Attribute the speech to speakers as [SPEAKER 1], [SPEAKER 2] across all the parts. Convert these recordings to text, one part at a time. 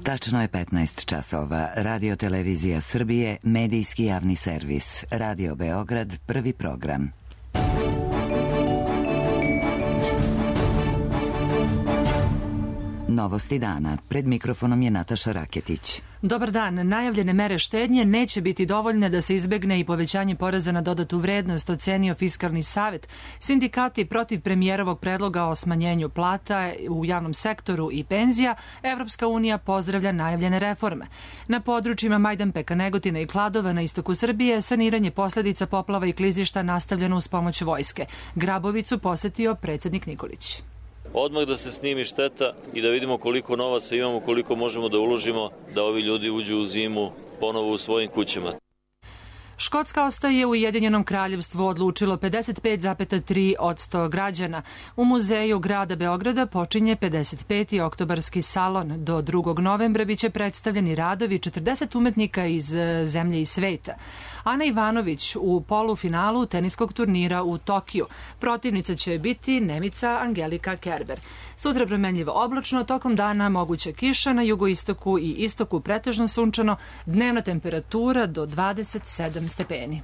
[SPEAKER 1] Tačno je 15 časova. Radio Televizija Srbije, medijski javni servis. Radio Beograd, prvi program. Novosti dana. Pred mikrofonom je Nataša Raketić.
[SPEAKER 2] Dobar dan. Najavljene mere štednje neće biti dovoljne da se izbegne i povećanje poreza na dodatu vrednost, ocenio Fiskalni savet. Sindikati protiv premijerovog predloga o smanjenju plata u javnom sektoru i penzija, Evropska unija pozdravlja najavljene reforme. Na područjima Majdanpeka, Negotina i Kladova na istoku Srbije saniranje posledica poplava i klizišta nastavljeno uz pomoć vojske. Grabovicu posetio predsjednik Nikolić.
[SPEAKER 3] Odmah da se snimi šteta i da vidimo koliko novaca imamo, koliko možemo da uložimo da ovi ljudi uđu u zimu ponovo u svojim kućama.
[SPEAKER 2] Škotska ostaje u Ujedinjenom kraljevstvu odlučilo 55,3% građana. U muzeju grada Beograda počinje 55. oktobarski salon. Do 2. novembra biće predstavljeni radovi 40 umetnika iz zemlje i sveta. Ana Ivanović u polufinalu teniskog turnira u Tokiju. Protivnica će biti Nemica Angelika Kerber. Sutra promenljivo oblačno, tokom dana moguća kiša, na jugoistoku i istoku pretežno sunčano, dnevna temperatura do 27 stepeni.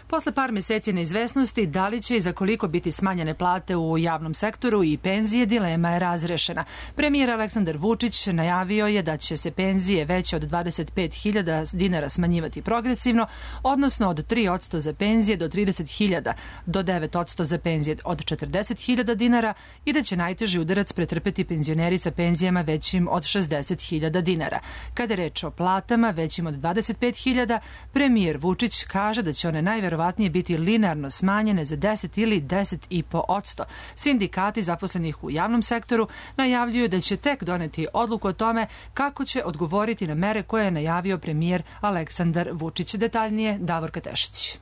[SPEAKER 2] Posle par meseci neizvesnosti, da li će i za koliko biti smanjene plate u javnom sektoru i penzije, dilema je razrešena. Premijer Aleksandar Vučić najavio je da će se penzije veće od 25.000 dinara smanjivati progresivno, odnosno od 3% za penzije do 30.000, do 9% za penzije od 40.000 dinara i da će najteži udarac pretrpeti penzioneri sa penzijama većim od 60.000 dinara. Kada je reč o platama većim od 25.000, premijer Vučić kaže da će one najverovatnije biti linearno smanjene za 10 ili 10,5%. Sindikati zaposlenih u javnom sektoru najavljuju da će tek doneti odluku o tome kako će odgovoriti na mere koje je najavio premijer Aleksandar Vučić. Detaljnije Davorka Tešić.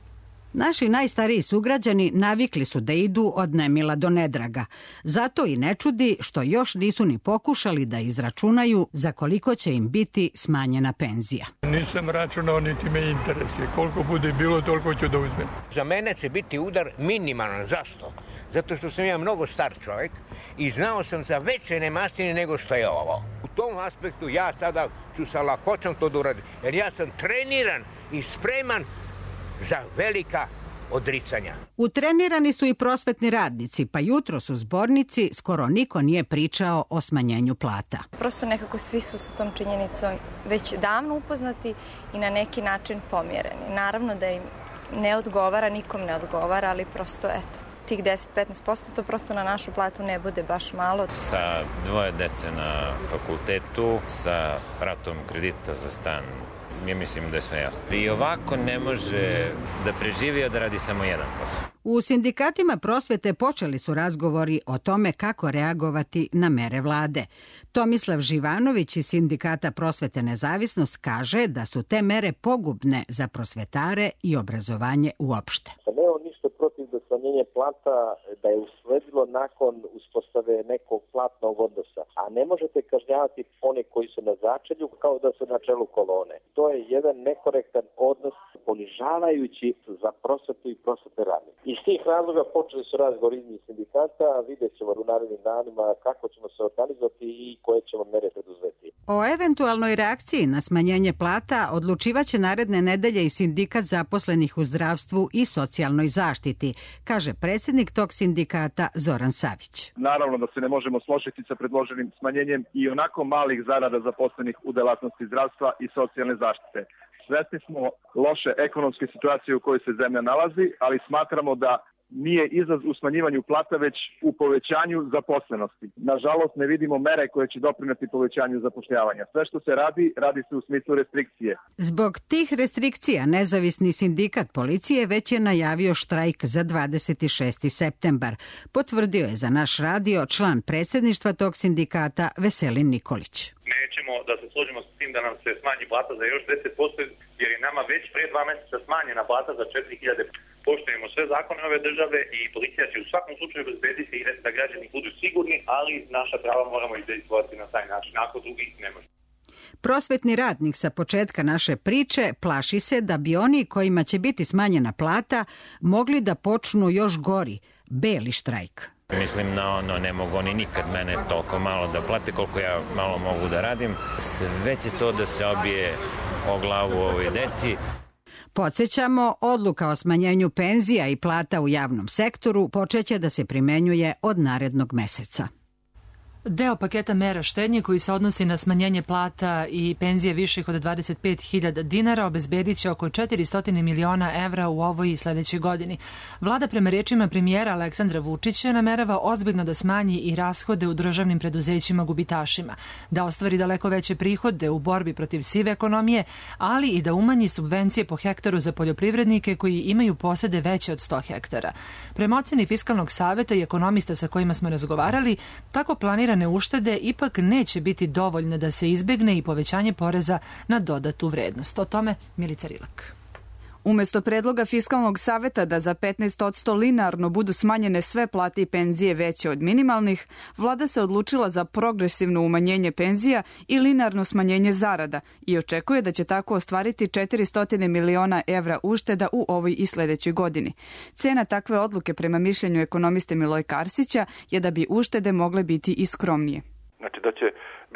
[SPEAKER 4] Naši najstariji sugrađani navikli su da idu od nemila do nedraga. Zato i ne čudi što još nisu ni pokušali da izračunaju za koliko će im biti smanjena penzija.
[SPEAKER 5] Nisam računao, niti me interesuje. Koliko bude bilo, toliko ću da uzmem.
[SPEAKER 6] Za mene će biti udar minimalan. Zašto? Zato što sam ja mnogo star čovjek i znao sam za veće nemastine nego što je ovo. U tom aspektu ja sada ću sa lakoćom to da uradim. Jer ja sam treniran i spreman za velika odricanja.
[SPEAKER 4] Utrenirani su i prosvetni radnici, pa jutros u zbornici skoro niko nije pričao o smanjenju plata.
[SPEAKER 7] Prosto nekako svi su sa tom činjenicom već davno upoznati i na neki način pomjereni. Naravno da im ne odgovara, nikom ne odgovara, ali prosto eto, tih 10-15% to prosto na našu platu ne bude baš malo.
[SPEAKER 8] Sa 2 dece na fakultetu, sa ratom kredita za stan, ja mislim da je sve jasno. I ovako ne može da preživi, a da radi samo jedan posao.
[SPEAKER 4] U sindikatima prosvete počeli su razgovori o tome kako reagovati na mere vlade. Tomislav Živanović iz Sindikata Prosvete Nezavisnost kaže da su te mere pogubne za prosvetare i obrazovanje uopšte.
[SPEAKER 9] Nemamo ništa protiv da smanjenje plata da je usledilo nakon uspostave nekog platnog odnosa. A ne možete kažnjavati one koji su na začelju kao da su na čelu kolone. To je jedan nekorektan odnos ponižavajući za prosvetu i prosvetne radnike. Iz tih razloga počeli su razgovori između sindikata, vidjet ćemo u narednim danima kako ćemo se organizovati i koje ćemo mere preduzeti.
[SPEAKER 4] O eventualnoj reakciji na smanjenje plata odlučivaće naredne nedelje i sindikat zaposlenih u zdravstvu i socijalnoj zaštiti, kaže predsjednik tog sindikata Zoran Savić.
[SPEAKER 10] Naravno da se ne možemo složiti sa predloženim smanjenjem i onako malih zarada zaposlenih u delatnosti zdravstva i socijalne zaštite. Svesni smo loše ekonomske situacije u kojoj se zemlja nalazi, ali smatramo da nije izlaz u smanjivanju plata, već u povećanju zaposlenosti. Nažalost, ne vidimo mere koje će doprineti povećanju zapošljavanja. Sve što se radi, radi se u smislu restrikcije.
[SPEAKER 4] Zbog tih restrikcija, nezavisni sindikat policije već je najavio štrajk za 26. septembar. Potvrdio je za naš radio član predsjedništva tog sindikata Veselin Nikolić.
[SPEAKER 11] Nećemo da se složimo s tim da nam se smanji plata za još 10%, jer je nama već prije 2 mjeseca smanjena plata za 4.000. Poštujemo sve zakone ove države i policija će u svakom slučaju obezbediti da građani budu sigurni, ali naša prava moramo izvojiti na taj način, ako drugih ne može.
[SPEAKER 4] Prosvetni radnik sa početka naše priče plaši se da bi oni kojima će biti smanjena plata mogli da počnu još gori, beli štrajk.
[SPEAKER 8] Mislim na ono, ne mogu oni nikad mene toliko malo da plate koliko ja malo mogu da radim. Sve će to da se obije o glavu ovoj deci.
[SPEAKER 4] Podsjećamo, odluka o smanjenju penzija i plata u javnom sektoru počeće da se primenjuje od narednog meseca.
[SPEAKER 2] Deo paketa mera štednje koji se odnosi na smanjenje plata i penzije viših od 25.000 dinara obezbedit će oko 400 miliona evra u ovoj i sledećoj godini. Vlada prema rečima premijera Aleksandra Vučića namerava ozbiljno da smanji i rashode u državnim preduzećima gubitašima, da ostvari daleko veće prihode u borbi protiv sive ekonomije, ali i da umanji subvencije po hektaru za poljoprivrednike koji imaju posede veće od 100 hektara. Prema oceni Fiskalnog saveta i ekonomista sa kojima smo razgovarali, tako planira uštede ipak neće biti dovoljne da se izbegne i povećanje poreza na dodatu vrednost. O tome Milica Rilak.
[SPEAKER 12] Umesto predloga Fiskalnog saveta da za 15% linearno budu smanjene sve plate i penzije veće od minimalnih, vlada se odlučila za progresivno umanjenje penzija i linearno smanjenje zarada i očekuje da će tako ostvariti 400 miliona evra ušteda u ovoj i sledećoj godini. Cena takve odluke prema mišljenju ekonomiste Milojka Arsića je da bi uštede mogle biti i skromnije.
[SPEAKER 13] Znači da će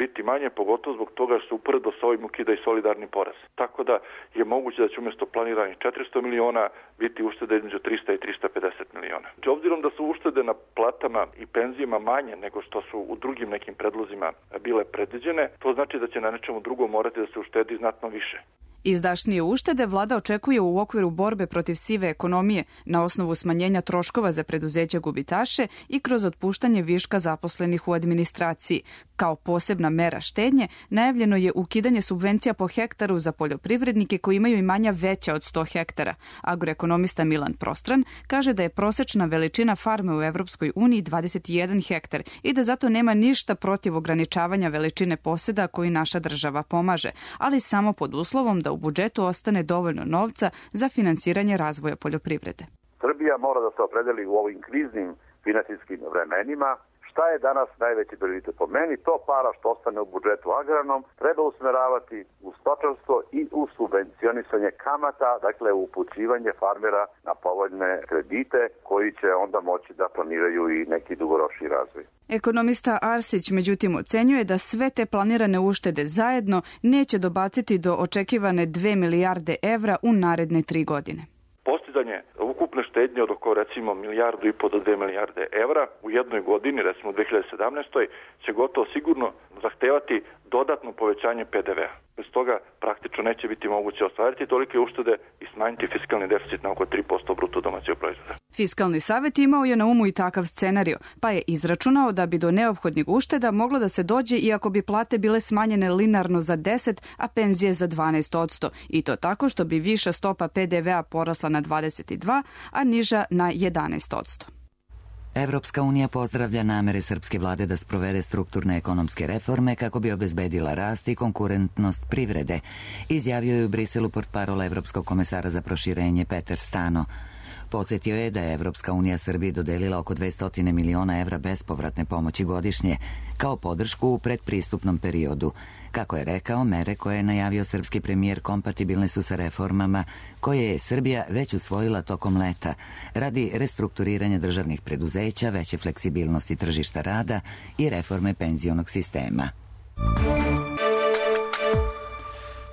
[SPEAKER 13] biti manje, pogotovo zbog toga što se uporedo sa ovim ukida i solidarni porez. Tako da je moguće da će umjesto planiranih 400 miliona biti uštede između 300 i 350 miliona. Obzirom da su uštede na platama i penzijama manje nego što su u drugim nekim predlozima bile predviđene, to znači da će na nečemu drugom morati da se uštedi znatno više.
[SPEAKER 12] Izdašnije uštede vlada očekuje u okviru borbe protiv sive ekonomije na osnovu smanjenja troškova za preduzeća gubitaše i kroz otpuštanje viška zaposlenih u administraciji. Kao posebna mera štednje najavljeno je ukidanje subvencija po hektaru za poljoprivrednike koji imaju imanja veća od 100 hektara. Agroekonomista Milan Prostran kaže da je prosečna veličina farme u Evropskoj uniji 21 hektar i da zato nema ništa protiv ograničavanja veličine poseda koji naša država pomaže, ali samo pod uslovom da u budžetu ostane dovoljno novca za finansiranje razvoja poljoprivrede.
[SPEAKER 14] Srbija mora da se opredeli u ovim kriznim finansijskim vremenima. Šta je danas najveći prioritet po meni? To para što ostane u budžetu agrarnom treba usmeravati u stočarstvo i u subvencionisanje kamata, dakle u upućivanje farmera na povoljne kredite koji će onda moći da planiraju i neki dugoročni razvoj.
[SPEAKER 12] Ekonomista Arsić međutim ocenjuje da sve te planirane uštede zajedno neće dobaciti do očekivane 2 milijarde evra u naredne 3 godine.
[SPEAKER 13] Postizanje ukupne štednje od oko recimo 1,5 milijardu do 2 milijarde evra u jednoj godini, recimo u 2017. će gotovo sigurno zahtevati dodatno povećanje PDV-a. Bez toga praktično neće biti moguće ostvariti tolike uštede i smanjiti fiskalni deficit na oko 3% bruto domaćeg proizvoda.
[SPEAKER 12] Fiskalni savet imao je na umu i takav scenario, pa je izračunao da bi do neophodnih ušteda moglo da se dođe i ako bi plate bile smanjene linearno za 10, a penzije za 12%. I to tako što bi viša stopa PDV-a porasla na 22, a niža na 11%.
[SPEAKER 1] Evropska unija pozdravlja namere srpske vlade da sprovede strukturne ekonomske reforme kako bi obezbedila rast i konkurentnost privrede, izjavio je u Briselu portparol Evropskog komesara za proširenje Peter Stano. Podsjetio je da je Evropska unija Srbiji dodelila oko 200 miliona evra bespovratne pomoći godišnje, kao podršku u predpristupnom periodu. Kako je rekao, mere koje je najavio srpski premijer kompatibilne su sa reformama koje je Srbija već usvojila tokom leta radi restrukturiranja državnih preduzeća, veće fleksibilnosti tržišta rada i reforme penzionog sistema.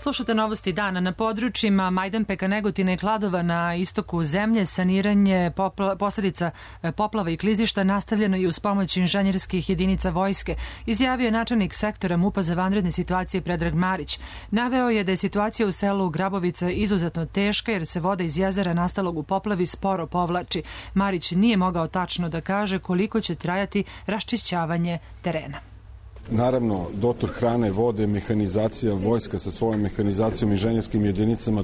[SPEAKER 2] Slušate novosti dana. Na područjima Majdanpeka, Negotina i Kladova na istoku zemlje saniranje posledica poplava i klizišta nastavljeno i uz pomoć inženjerskih jedinica vojske, izjavio je načelnik sektora MUP-a za vanredne situacije Predrag Marić. Naveo je da je situacija u selu Grabovica izuzetno teška jer se voda iz jezera nastalog u poplavi sporo povlači. Marić nije mogao tačno da kaže koliko će trajati raščišćavanje terena.
[SPEAKER 15] Naravno, dotor hrane, vode, mehanizacija, vojska sa svojom mehanizacijom i inženjerskim jedinicama,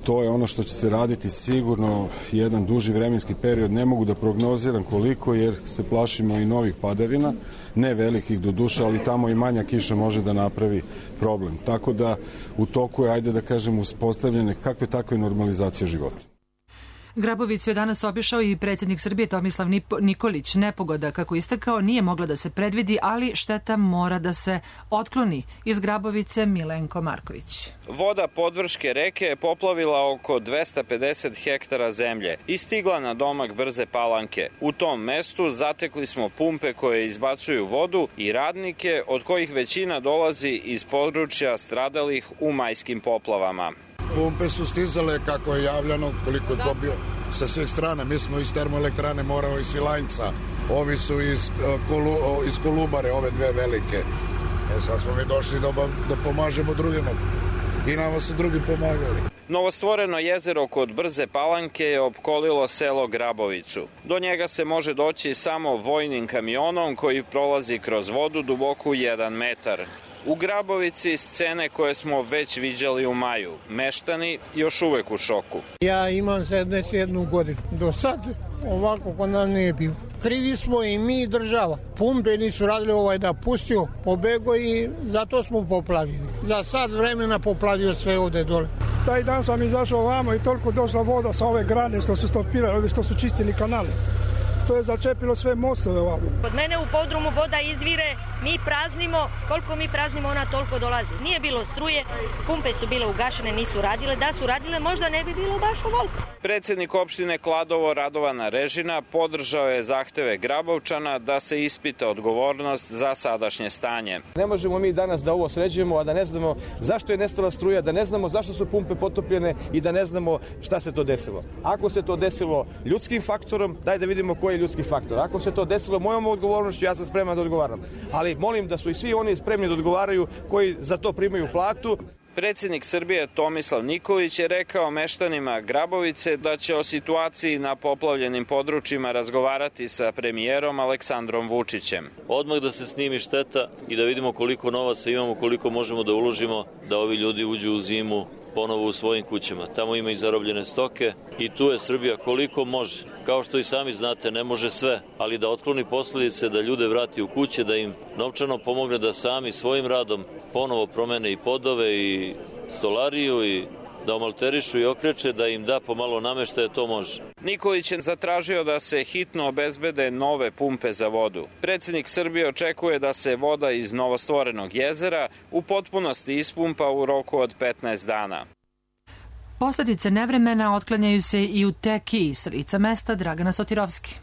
[SPEAKER 15] to je ono što će se raditi sigurno jedan duži vremenski period. Ne mogu da prognoziram koliko jer se plašimo i novih padavina, ne velikih do duša, ali tamo i manja kiša može da napravi problem. Tako da u toku je, ajde da kažem, uspostavljene kakve takve normalizacije života.
[SPEAKER 2] Grabovicu je danas obišao i predsjednik Srbije Tomislav Nikolić. Nepogoda, kako istakao, nije mogla da se predvidi, ali šteta mora da se otkloni. Iz Grabovice Milenko Marković.
[SPEAKER 16] Voda podvrške reke je poplavila oko 250 hektara zemlje i stigla na domak Brze Palanke. U tom mestu zatekli smo pumpe koje izbacuju vodu i radnike, od kojih većina dolazi iz područja stradalih u majskim poplavama.
[SPEAKER 17] Pumpe su stizale, kako je javljeno, koliko je dobio sa svih strana. Mi smo iz termoelektrane Morava i Svilajnca. Ovi su iz Kolubare, ove dve velike. Sad smo mi došli da pomažemo drugima. I nama su drugi pomagali.
[SPEAKER 16] Novostvoreno jezero kod Brze Palanke je opkolilo selo Grabovicu. Do njega se može doći samo vojnim kamionom koji prolazi kroz vodu duboku 1 metar. U Grabovici scene koje smo već viđali u maju. Meštani još uvek u šoku.
[SPEAKER 18] Ja imam 71 godinu. Do sad ovako kod nas nije bilo. Krivi smo i mi i država. Pumpe nisu radili da pustio, pobego i zato smo poplavili. Za sad vremena poplavio sve ovde dole.
[SPEAKER 19] Taj dan sam izašao ovamo i toliko došla voda sa ove grane što su stopirali, ovi što su čistili kanale. To je začepilo sve mostove ovamo.
[SPEAKER 20] Kod mene u podrumu voda izvire, mi praznimo, koliko mi praznimo ona toliko dolazi. Nije bilo struje, pumpe su bile ugašene, nisu radile, da su radile možda ne bi bilo baš ovoliko.
[SPEAKER 16] Predsjednik opštine Kladovo Radovana Režina podržao je zahteve Grabovčana da se ispita odgovornost za sadašnje stanje.
[SPEAKER 21] Ne možemo mi danas da ovo sređujemo, a da ne znamo zašto je nestala struja, da ne znamo zašto su pumpe potopljene i da ne znamo šta se to desilo. Ako se to desilo ljudskim faktorom, daj da vidimo koji je ljudski faktor. Ako se to desilo mojom odgovornošću, ja sam spreman da odgovaram. Ali molim da su i svi oni spremni da odgovaraju koji za to primaju platu.
[SPEAKER 16] Predsjednik Srbije Tomislav Nikolić je rekao meštanima Grabovice da će o situaciji na poplavljenim područjima razgovarati sa premijerom Aleksandrom Vučićem.
[SPEAKER 3] Odmah da se snimi šteta i da vidimo koliko novaca imamo, koliko možemo da uložimo da ovi ljudi uđu u zimu ponovo u svojim kućama. Tamo ima i zarobljene stoke i tu je Srbija koliko može. Kao što i sami znate, ne može sve, ali da otkloni posljedice, da ljude vrati u kuće, da im novčano pomogne da sami svojim radom ponovo promene i podove i stolariju i da omalterišu i okreče, da im da pomalo nameštaje, to može.
[SPEAKER 16] Nikolić je zatražio da se hitno obezbede nove pumpe za vodu. Predsjednik Srbije očekuje da se voda iz novostvorenog jezera u potpunosti ispumpa u roku od 15 dana.
[SPEAKER 2] Posledice nevremena otklanjaju se i u Tekiji, s lica mesta Dragana Sotirovski.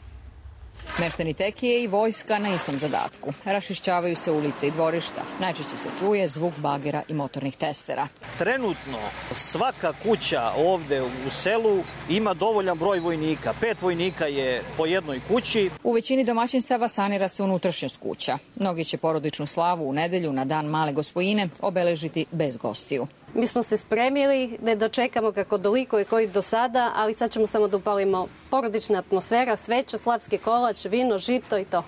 [SPEAKER 22] Meštani Tekije i vojska na istom zadatku. Rašišćavaju se ulice i dvorišta. Najčešće se čuje zvuk bagera i motornih testera.
[SPEAKER 23] Trenutno svaka kuća ovde u selu ima dovoljan broj vojnika. 5 vojnika je po jednoj kući.
[SPEAKER 22] U većini domaćinstava sanira se unutrašnjost kuća. Mnogi će porodičnu slavu u nedelju na dan Male Gospojine obeležiti bez gostiju.
[SPEAKER 24] Mi smo se spremili, ne dočekamo kako doliko i koji do sada, ali sad ćemo samo da upalimo porodična atmosfera, sveća, slavski kolač, vino, žito i to.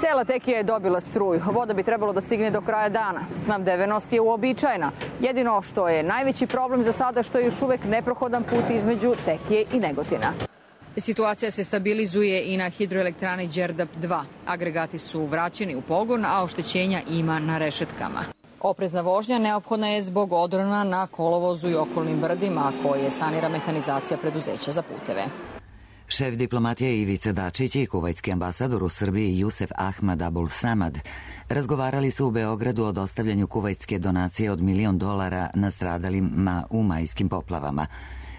[SPEAKER 22] Cela Tekija je dobila struju. Voda bi trebalo da stigne do kraja dana. Snabdevenost je uobičajena. Jedino što je najveći problem za sada što je još uvek neprohodan put između Tekije i Negotina. Situacija se stabilizuje i na hidroelektrani Đerdap 2. Agregati su vraćeni u pogon, a oštećenja ima na rešetkama. Oprezna vožnja neophodna je zbog odrona na kolovozu i okolnim brdima koje sanira mehanizacija preduzeća za puteve.
[SPEAKER 1] Šef diplomatije Ivica Dačić i kuvajtski ambasador u Srbiji Jusef Ahmad Abul Samad razgovarali su u Beogradu o dostavljanju kuvajtske donacije od $1 milion nastradalima u majskim poplavama.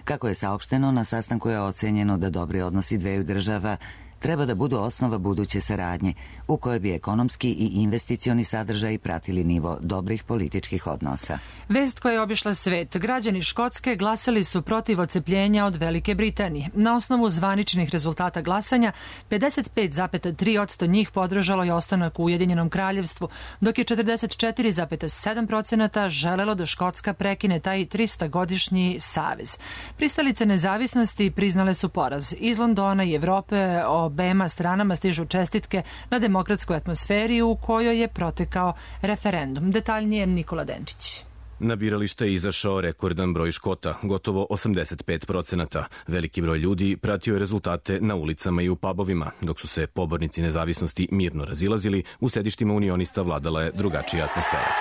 [SPEAKER 1] Kako je saopšteno, na sastanku je ocenjeno da dobri odnosi dveju država treba da budu osnova buduće saradnje, u kojoj bi ekonomski i investicioni sadržaj pratili nivo dobrih političkih odnosa.
[SPEAKER 2] Vest koja je obišla svet. Građani Škotske glasali su protiv odcepljenja od Velike Britanije. Na osnovu zvaničnih rezultata glasanja, 55,3% njih podržalo je ostanak u Ujedinjenom kraljevstvu, dok je 44,7% želelo da Škotska prekine taj 300-godišnji savez. Pristalice nezavisnosti priznale su poraz. Iz Londona i Evrope obema stranama stižu čestitke na demokratskoj atmosferi u kojoj je protekao referendum. Detaljnije Nikola Denčić.
[SPEAKER 25] Na biralište je izašao rekordan broj Škota, gotovo 85%. Veliki broj ljudi pratio je rezultate na ulicama i u pubovima, dok su se pobornici nezavisnosti mirno razilazili, u sedištima unionista vladala je drugačija atmosfera.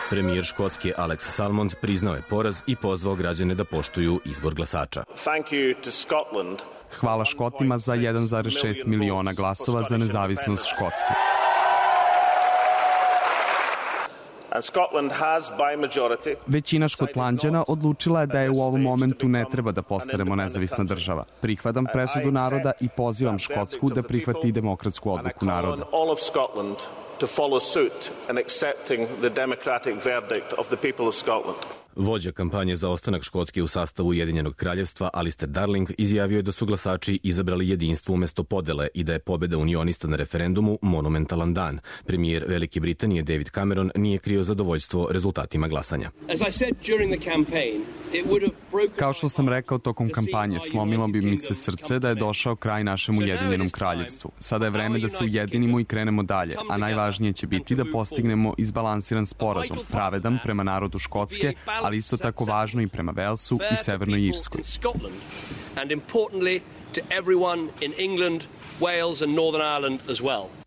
[SPEAKER 25] Premijer Škotske Alex Salmond priznao je poraz i pozvao građane da poštuju izbor glasača.
[SPEAKER 5] Hvala Škotima za 1,6 miliona glasova za nezavisnost Škotske. Većina Škotlanđana odlučila je da je u ovom momentu ne treba da postanemo nezavisna država. Prihvatam presudu naroda i pozivam Škotsku da prihvati demokratsku odluku naroda.
[SPEAKER 25] Vođa kampanje za ostanak Škotske u sastavu Ujedinjenog kraljevstva Alistair Darling izjavio je da su glasači izabrali jedinstvo umesto podele i da je pobeda unionista na referendumu monumentalan dan. Premijer Velike Britanije David Cameron nije krio zadovoljstvo rezultatima glasanja.
[SPEAKER 5] Kao što sam rekao tokom kampanje, slomilo bi mi se srce da je došao kraj našem Ujedinjenom kraljevstvu. Sada je vreme da se ujedinimo i krenemo dalje, a najvažnije će biti da postignemo izbalansiran sporazum, pravedan prema narodu Škotske, ali isto tako važno i prema Velsu i Severnoj Irskoj.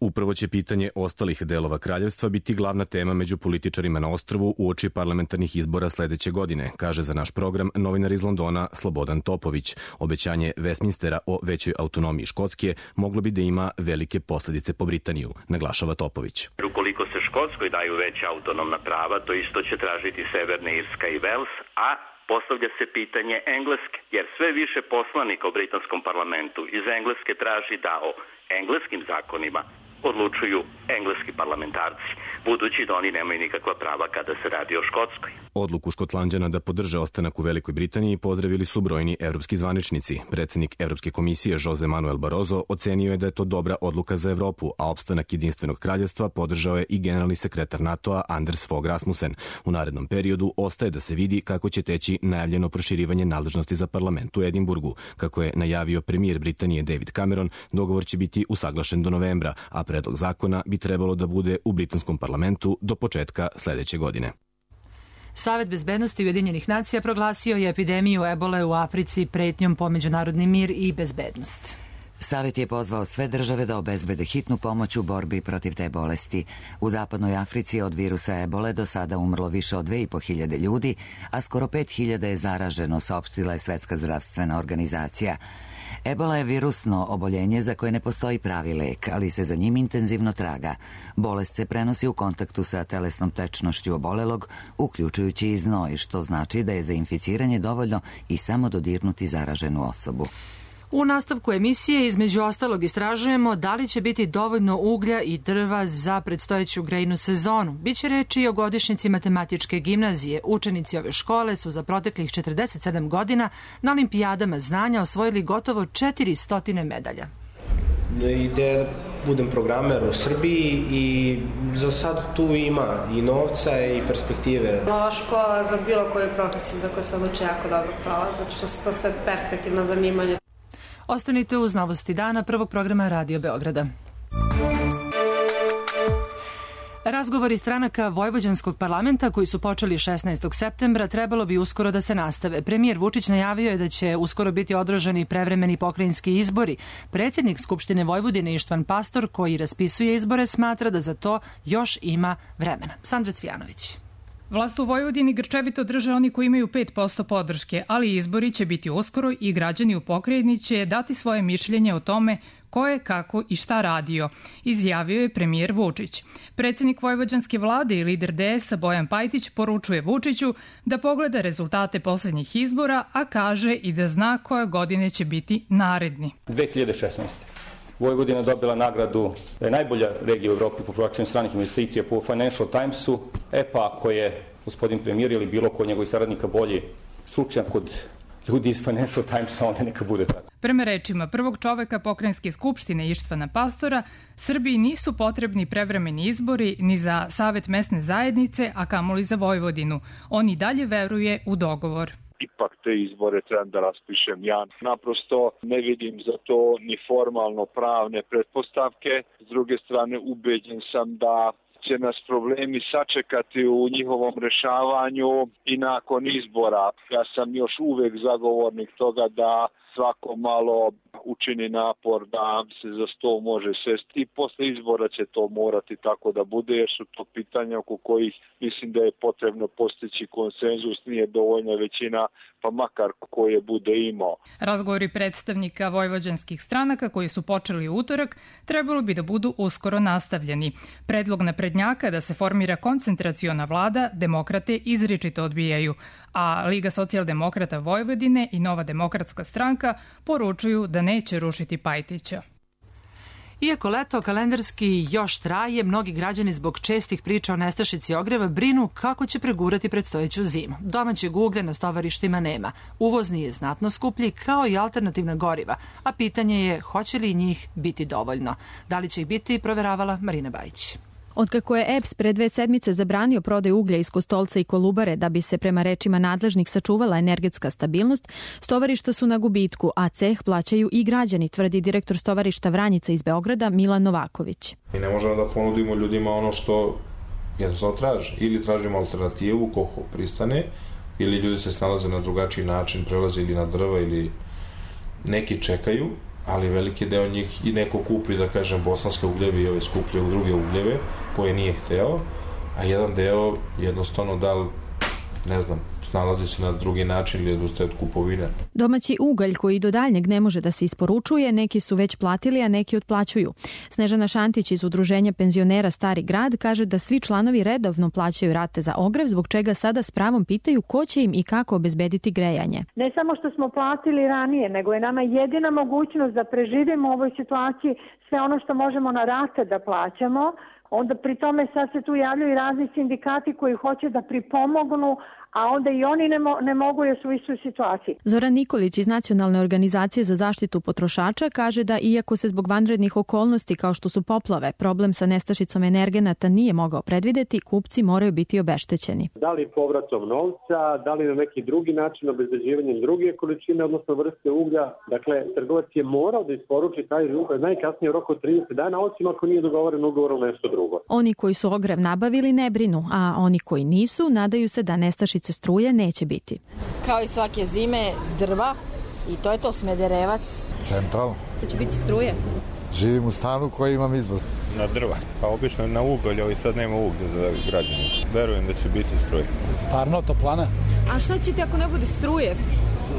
[SPEAKER 25] Upravo će pitanje ostalih delova kraljevstva biti glavna tema među političarima na ostrvu uoči parlamentarnih izbora sledeće godine, kaže za naš program novinar iz Londona Slobodan Topović. Obećanje Westminstera o većoj autonomiji Škotske moglo bi da ima velike posledice po Britaniju, naglašava Topović.
[SPEAKER 6] Ukoliko se Škotskoj daju veća autonomna prava, to isto će tražiti Severna Irska i Vels, a postavlja se pitanje Engleske, jer sve više poslanika u britanskom parlamentu iz Engleske traži da o engleskim zakonima odlučuju engleski parlamentarci, budući da oni nemaju nikakva prava kada se radi o Škotskoj.
[SPEAKER 25] Odluku Škotlanđana da podrže ostanak u Velikoj Britaniji pozdravili su brojni evropski zvaničnici. Predsednik Evropske komisije Jose Manuel Barroso ocenio je da je to dobra odluka za Evropu, a opstanak jedinstvenog kraljevstva podržao je i generalni sekretar NATO-a Anders Fogh Rasmussen. U narednom periodu ostaje da se vidi kako će teći najavljeno proširivanje nadležnosti za parlament u Edinburgu. Kako je najavio premijer Britanije David Cameron, dogovor će biti usaglašen do novembra, a predlog zakona bi trebalo da bude u britanskom parlamentu do početka sledeće godine.
[SPEAKER 2] Savet bezbednosti Ujedinjenih nacija proglasio je epidemiju ebole u Africi pretnjom po međunarodni mir i bezbednost.
[SPEAKER 1] Savet je pozvao sve države da obezbede hitnu pomoć u borbi protiv te bolesti. U zapadnoj Africi od virusa ebole do sada umrlo više od 2.500 ljudi, a skoro 5.000 je zaraženo, saopštila je Svetska zdravstvena organizacija. Ebola je virusno oboljenje za koje ne postoji pravi lek, ali se za njim intenzivno traga. Bolest se prenosi u kontaktu sa telesnom tečnošću obolelog, uključujući i znoj, što znači da je za inficiranje dovoljno i samo dodirnuti zaraženu osobu.
[SPEAKER 2] U nastavku emisije između ostalog istražujemo da li će biti dovoljno uglja i drva za predstojeću grejnu sezonu. Biće reči i o godišnjici matematičke gimnazije. Učenici ove škole su za proteklih 47 godina na olimpijadama znanja osvojili gotovo 400 medalja.
[SPEAKER 7] Ideja da budem programer u Srbiji i za sad tu ima i novca i perspektive.
[SPEAKER 24] Ova škola za bilo koju profesiju za koju se odluče jako dobro prava, zato što su to sve perspektivna zanimanja.
[SPEAKER 2] Ostanite uz novosti dana prvog programa Radio Beograda. Razgovori stranaka Vojvođanskog parlamenta koji su počeli 16. septembra trebalo bi uskoro da se nastave. Premijer Vučić najavio je da će uskoro biti održani prevremeni pokrajinski izbori. Predsjednik Skupštine Vojvodine Ištvan Pastor, koji raspisuje izbore, smatra da za to još ima vremena. Sandra Cvijanović.
[SPEAKER 9] Vlast u Vojvodini grčevito drže oni koji imaju 5% podrške, ali izbori će biti uskoro i građani u pokrajini će dati svoje mišljenje o tome ko je, kako i šta radio, izjavio je premijer Vučić. Predsjednik Vojvođanske vlade i lider DS-a Bojan Pajtić poručuje Vučiću da pogleda rezultate poslednjih izbora, a kaže i da zna koje godine će biti naredni.
[SPEAKER 10] 2016. Vojvodina dobila nagradu da je najbolja regija u Evropi po privlačenju stranih investicija po Financial Timesu. Pa ako je gospodin premijer ili bilo ko njegovih saradnika bolji stručnjak kod ljudi iz Financial Timesa, onda neka bude tako.
[SPEAKER 9] Prema rečima prvog čoveka pokrajinske skupštine Ištvana Pastora, Srbiji nisu potrebni prevremeni izbori ni za Savet mesne zajednice, a kamoli za Vojvodinu. On i dalje veruje u dogovor.
[SPEAKER 26] Ipak te izbore trebam da raspišem ja. Naprosto ne vidim za to ni formalno pravne pretpostavke. S druge strane, ubeđen sam da će nas problemi sačekati u njihovom rešavanju i nakon izbora. Ja sam još uvek zagovornik toga da svako malo učini napor da se za sto može sesti i posle izbora će to morati tako da bude, jer su to pitanja oko kojih mislim da je potrebno postići konsenzus, nije dovoljna većina, pa makar koje bude imao.
[SPEAKER 9] Razgovori predstavnika vojvođanskih stranaka koji su počeli u utorak trebalo bi da budu uskoro nastavljeni. Predlog naprednjaka da se formira koncentraciona vlada demokrate izričito odbijaju, a Liga socijaldemokrata Vojvodine i Nova demokratska stranka poručuju da neće rušiti Pajtića.
[SPEAKER 2] Iako leto kalendarski još traje, mnogi građani zbog čestih priča o nestašici ogreva brinu kako će pregurati predstojeću zimu. Domaćeg uglja na stovarištima nema. Uvozni je znatno skuplji kao i alternativna goriva, a pitanje je hoće li njih biti dovoljno. Da li će ih biti, proveravala Marina Bajić.
[SPEAKER 4] Otkako je EPS pre 2 sedmice zabranio prodaju uglja iz Kostolca i Kolubare da bi se prema rečima nadležnih sačuvala energetska stabilnost, stovarišta su na gubitku, a ceh plaćaju i građani, tvrdi direktor stovarišta Vranjica iz Beograda Milan Novaković.
[SPEAKER 8] Mi ne možemo da ponudimo ljudima ono što jednostavno traže. Ili tražimo alternativu koliko pristane, ili ljudi se snalaze na drugačiji način, prelaze ili na drva ili neki čekaju, ali veliki deo njih i neko kupi, da kažem, bosanske ugljeve i ove skuplje u druge ugljeve koje nije hteo, a jedan deo jednostavno ne znam, snalazi se na drugi način ili odustaje od kupovine.
[SPEAKER 4] Domaći ugalj koji do daljnjeg ne može da se isporučuje, neki su već platili, a neki otplaćuju. Snežana Šantić iz Udruženja penzionera Stari grad kaže da svi članovi redovno plaćaju rate za ogrev, zbog čega sada s pravom pitaju ko će im i kako obezbediti grejanje.
[SPEAKER 11] Ne samo što smo platili ranije, nego je nama jedina mogućnost da preživimo u ovoj situaciji sve ono što možemo na rate da plaćamo. Onda pri tome sad se tu javljaju i razni sindikati koji hoće da pripomognu, a onda i oni ne mogu jer su u istoj situaciji.
[SPEAKER 4] Zoran Nikolić iz Nacionalne organizacije za zaštitu potrošača kaže da iako se zbog vanrednih okolnosti kao što su poplave, problem sa nestašicom energenata nije mogao predvideti, kupci moraju biti obeštećeni.
[SPEAKER 12] Da li povratom novca, da li na neki drugi način obezbeđivanjem druge količine, odnosno vrste uglja. Dakle, trgovac je morao da isporuči taj ugalj najkasnije u roku od 30 dana, osim ako nije dogovoren ugovor o nešto drugo.
[SPEAKER 4] Oni koji su ogrev nabavili ne brinu, a oni koji nisu nadaju se da nestašice struje neće biti.
[SPEAKER 13] Kao i svake zime, drva i to je to, Smederevac.
[SPEAKER 14] Central.
[SPEAKER 13] To će biti struje.
[SPEAKER 14] Živim u stanu koji imam izbor.
[SPEAKER 27] Na drva, pa obično na ugalj, ali sad nema uglja za građane. Verujem da će biti struje.
[SPEAKER 28] Parno, toplana.
[SPEAKER 13] A šta ćete ako ne bude struje?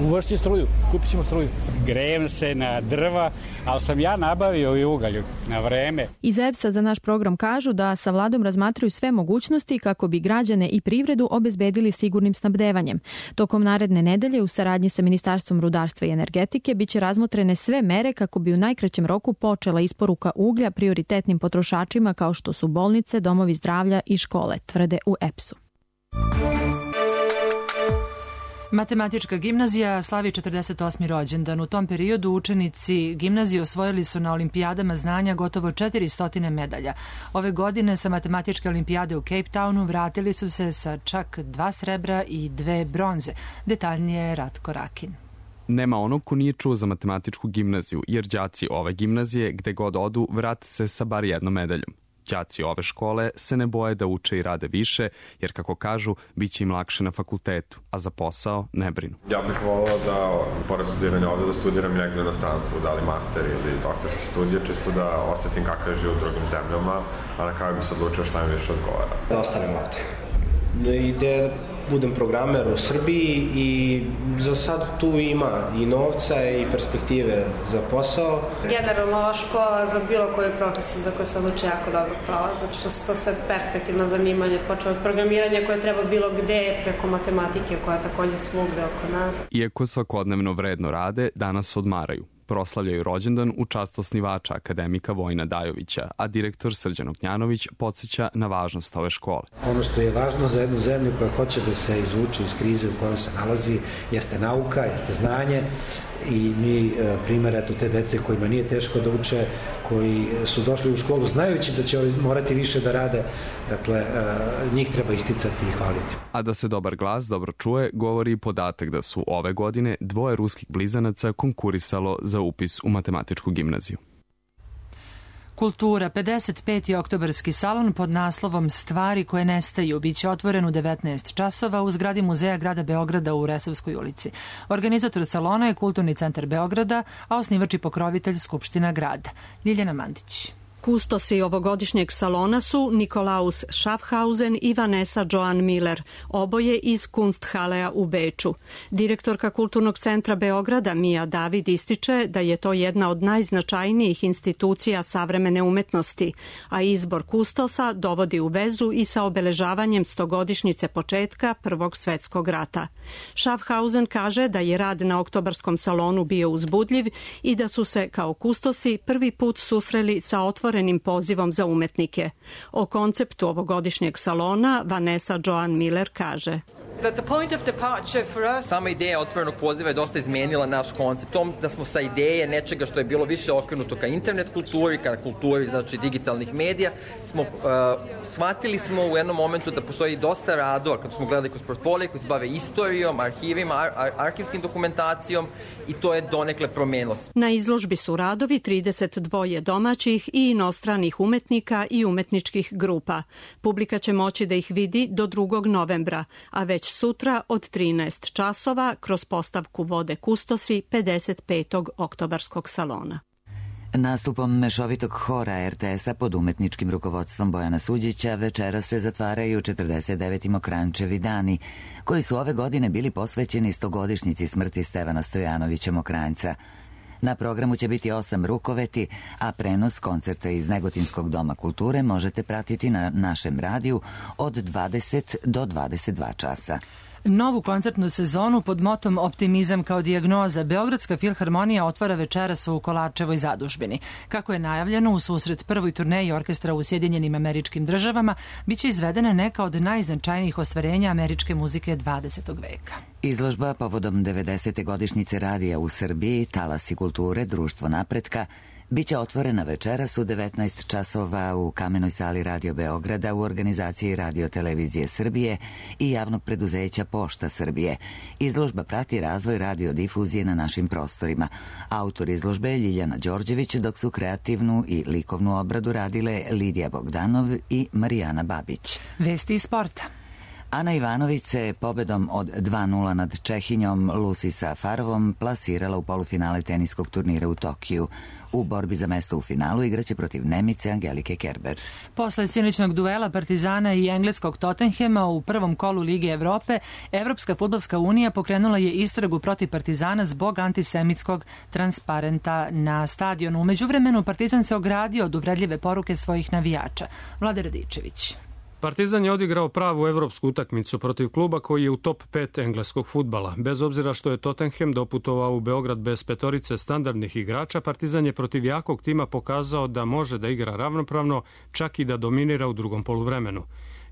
[SPEAKER 28] Uvršći struju, kupit ćemo struju.
[SPEAKER 29] Grejem se na drva, ali sam ja nabavio i ugalj na vreme.
[SPEAKER 4] Iz EPS-a za naš program kažu da sa vladom razmatraju sve mogućnosti kako bi građane i privredu obezbedili sigurnim snabdevanjem. Tokom naredne nedelje u saradnji sa Ministarstvom rudarstva i energetike biće razmotrene sve mere kako bi u najkraćem roku počela isporuka uglja prioritetnim potrošačima kao što su bolnice, domovi zdravlja i škole, tvrde u EPS-u.
[SPEAKER 2] Matematička gimnazija slavi 48. rođendan. U tom periodu učenici gimnazije osvojili su na olimpijadama znanja gotovo 400 medalja. Ove godine sa matematičke olimpijade u Cape Townu vratili su se sa čak 2 srebra i 2 bronze. Detaljnije Ratko Rakin.
[SPEAKER 5] Nema onog ko nije čuo za matematičku gimnaziju, jer đaci ove gimnazije, gde god odu, vrate se sa bar jednom medaljom. Đaci ove škole se ne boje da uče i rade više, jer kako kažu, bit će im lakše na fakultetu, a za posao ne brinu.
[SPEAKER 30] Ja bih volao da, pored studiranja ovde, da studiram negde u inostranstvu, da li master ili doktorske studije, čisto da osetim kakav je život u drugim zemljama, a na kraju bi se odlučio šta mi više odgovara.
[SPEAKER 7] Da ostanem ovde. Ideja da budem programer u Srbiji i za sad tu ima i novca i perspektive za posao.
[SPEAKER 24] Generalno ova škola za bilo koju profesiju za koju se odluči jako dobro prava, zato što su to sve perspektivno zanimanje, počeo od programiranja koje treba bilo gde, preko matematike koja je takođe svugde oko nas.
[SPEAKER 5] Iako svakodnevno vredno rade, danas odmaraju. Proslavljaju rođendan u čast osnivača akademika Vojina Dajovića, a direktor Srđan Ognjanović podsjeća na važnost ove škole.
[SPEAKER 31] Ono što je važno za jednu zemlju koja hoće da se izvuče iz krize u kojoj se nalazi jeste nauka, jeste znanje i mi primjer eto te dece kojima nije teško da uče, koji su došli u školu znajući da će morati više da rade, dakle njih treba isticati i hvaliti.
[SPEAKER 5] A da se dobar glas dobro čuje, govori i podatak da su ove godine 2 ruskih blizanaca konkurisalo za upis u matematičku gimnaziju.
[SPEAKER 2] Kultura, 55. oktobarski salon pod naslovom Stvari koje nestaju biće otvoren u 19 časova u zgradi Muzeja grada Beograda u Resavskoj ulici. Organizator salona je Kulturni centar Beograda, a osnivač i pokrovitelj Skupština grada. Ljiljana Mandić.
[SPEAKER 3] Kustosi ovogodišnjeg salona su Nikolaus Schaffhausen i Vanessa Joan Miller, oboje iz Kunsthalea u Beču. Direktorka Kulturnog centra Beograda Mija David ističe da je to jedna od najznačajnijih institucija savremene umetnosti, a izbor kustosa dovodi u vezu i sa obeležavanjem 100-godišnjice početka Prvog svetskog rata. Schaffhausen kaže da je rad na oktobarskom salonu bio uzbudljiv i da su se kao kustosi prvi put susreli sa otvorenim pozivom za umetnike. O konceptu ovogodišnjeg salona Vanessa Joan Miller kaže:
[SPEAKER 6] Sama ideja otvorenog poziva je dosta izmenila naš koncept. Tom da smo sa ideje nečega što je bilo više okrenuto ka internet kulturi, ka kulturi znači digitalnih medija, shvatili smo u jednom momentu da postoji dosta radova, kad smo gledali kroz portfolije koji se bave istorijom, arhivima, arhivskim dokumentacijom i to je donekle promenilo.
[SPEAKER 3] Na izložbi su radovi 32 domaćih i inostranih umetnika i umetničkih grupa. Publika će moći da ih vidi do 2. novembra, a već sutra od 13 časova kroz postavku vode kustosi 55. oktobarskog salona.
[SPEAKER 1] Nastupom mešovitog hora RTS-a pod umetničkim rukovodstvom Bojana Suđića večera se zatvaraju 49. Mokrančevi dani, koji su ove godine bili posvećeni 100-godišnjici smrti Stevana Stojanovića Mokranjca. Na programu će biti 8 rukoveti, a prenos koncerta iz Negotinskog doma kulture možete pratiti na našem radiju od 20 do 22 časa.
[SPEAKER 2] Novu koncertnu sezonu pod motom Optimizam kao dijagnoza Beogradska filharmonija otvara večeras u Kolarčevoj zadužbini. Kako je najavljeno, u susret prvoj turneji orkestra u Sjedinjenim Američkim Državama biće izvedena neka od najznačajnijih ostvarenja američke muzike 20. veka.
[SPEAKER 1] Izložba povodom 90. godišnjice radija u Srbiji, Talasi kulture, Društvo napretka, biće otvorena večeras u 19 časova u Kamenoj sali Radio Beograda u organizaciji Radio Televizije Srbije i javnog preduzeća Pošta Srbije. Izložba prati razvoj radiodifuzije na našim prostorima. Autor izložbe je Ljiljana Đorđević, dok su kreativnu i likovnu obradu radile Lidija Bogdanov i Marijana Babić.
[SPEAKER 2] Vesti iz sporta.
[SPEAKER 1] Ana Ivanović se pobedom od 2:0 nad Čehinjom Lucy Safarovom plasirala u polufinale teniskog turnira u Tokiju. U borbi za mesto u finalu igraće protiv Nemice Angelike Kerber.
[SPEAKER 2] Posle sinoćnog duela Partizana i engleskog Tottenhema u prvom kolu Lige Evrope, Evropska fudbalska unija pokrenula je istragu protiv Partizana zbog antisemitskog transparenta na stadionu. U međuvremenu Partizan se ogradio od uvredljive poruke svojih navijača. Vlade Radičević.
[SPEAKER 15] Partizan je odigrao pravu evropsku utakmicu protiv kluba koji je u top 5 engleskog fudbala. Bez obzira što je Tottenham doputovao u Beograd bez petorice standardnih igrača, Partizan je protiv jakog tima pokazao da može da igra ravnopravno, čak i da dominira u drugom poluvremenu.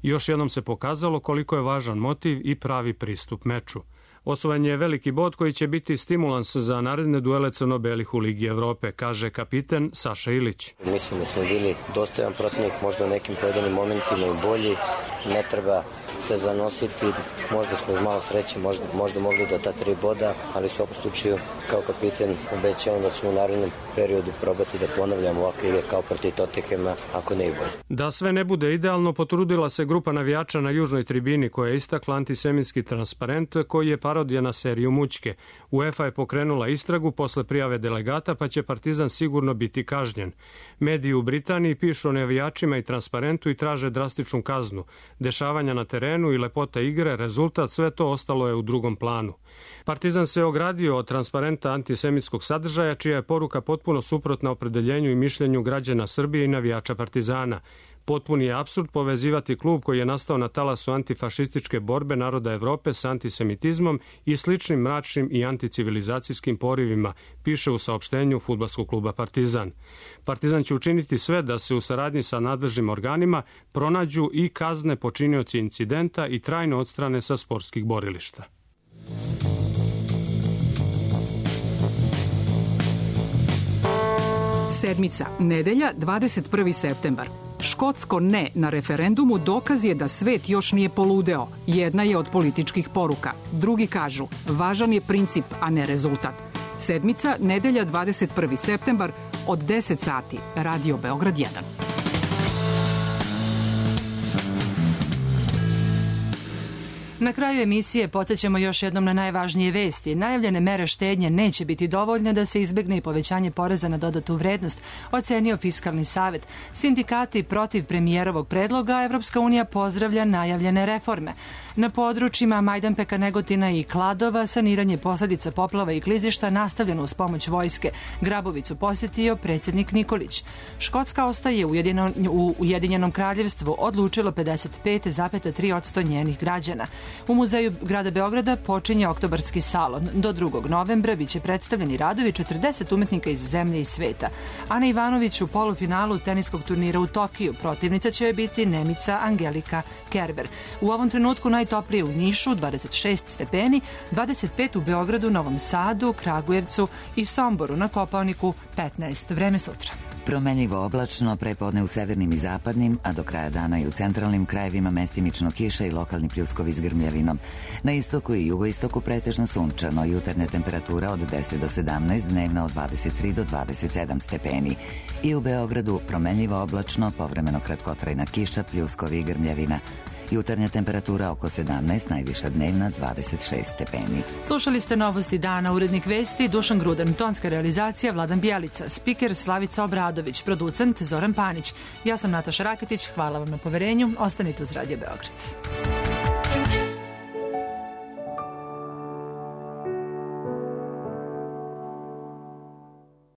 [SPEAKER 15] Još jednom se pokazalo koliko je važan motiv i pravi pristup meču. Osvojen je veliki bod koji će biti stimulans za naredne duele crno-belih u Ligi Evrope, kaže kapiten Saša Ilić.
[SPEAKER 16] Mislim da smo bili dostojan protivnik, možda u nekim pojedinim momentima i bolji, ne treba se zanositi, možda smo iz malo sreće, možda mogli do ta 3 boda, ali u svakom slučaju kao kapiten obećavam da ćemo u narednom periodu probati da ponavljamo ovakve igre kao protiv Tottenhama, ako ne i bolje.
[SPEAKER 15] Da sve ne bude idealno, potrudila se grupa navijača na južnoj tribini koja je istakla antisemitski transparent koji je parodija na seriju Mućke. UEFA je pokrenula istragu posle prijave delegata, pa će Partizan sigurno biti kažnjen. Mediji u Britaniji pišu o navijačima i transparentu i traže drastičnu kaznu. Dešavanja na terenu i lepota igre, rezultat, sve to ostalo je u drugom planu. Partizan se ogradio od transparenta antisemitskog sadržaja, čija je poruka potpuno suprotna opredeljenju i mišljenju građana Srbije i navijača Partizana. Potpuni je apsurd povezivati klub koji je nastao na talasu antifašističke borbe naroda Evrope sa antisemitizmom i sličnim mračnim i anticivilizacijskim porivima, piše u saopštenju fudbalskog kluba Partizan. Partizan će učiniti sve da se u saradnji sa nadležnim organima pronađu i kazne počinioci incidenta i trajno odstrane sa sportskih borilišta.
[SPEAKER 17] Sedmica, nedelja, 21. septembar. Škotsko ne na referendumu dokaz je da svet još nije poludeo. Jedna je od političkih poruka. Drugi kažu, važan je princip, a ne rezultat. Sedmica, nedelja, 21. septembar, od 10 sati. Radio Beograd 1.
[SPEAKER 2] Na kraju emisije podsjećamo još jednom na najvažnije vesti. Najavljene mere štednje neće biti dovoljne da se izbegne i povećanje poreza na dodatu vrednost, ocenio Fiskalni savet. Sindikati protiv premijerovog predloga, Evropska unija pozdravlja najavljene reforme. Na područjima Majdanpeka, Negotina i Kladova saniranje posledica poplava i klizišta nastavljeno uz pomoć vojske. Grabovicu posjetio predsjednik Nikolić. Škotska ostaje u Ujedinjenom kraljevstvu, odlučilo 55,3% njenih građana. U Muzeju grada Beograda počinje oktobarski salon. Do 2. novembra biće predstavljeni radovi 40 umetnika iz zemlje i sveta. Ana Ivanović u polufinalu teniskog turnira u Tokiju. Protivnica će joj biti Nemica Angelika Kerber. U ovom trenutku najtoplije u Nišu 26 stepeni, 25 u Beogradu, Novom Sadu, Kragujevcu i Somboru, na Kopaoniku 15. Vreme sutra.
[SPEAKER 1] Promenljivo oblačno, prepodne u severnim i zapadnim, a do kraja dana i u centralnim krajevima mestimično kiša i lokalni pljuskovi s grmljavinom. Na istoku i jugoistoku pretežno sunčano, jutarnja temperatura od 10 do 17, dnevna od 23 do 27 stepeni. I u Beogradu promenljivo oblačno, povremeno kratkotrajna kiša, pljuskovi i grmljavina. Jutarnja temperatura oko 17, najviša dnevna 26 stepeni.
[SPEAKER 2] Slušali ste novosti dana, urednik vesti Dušan Grudan, tonska realizacija Vladan Bjelica, spiker Slavica Obradović, producent Zoran Panić. Ja sam Nataša Raketić, hvala vam na poverenju, ostanite uz Radio Beograd.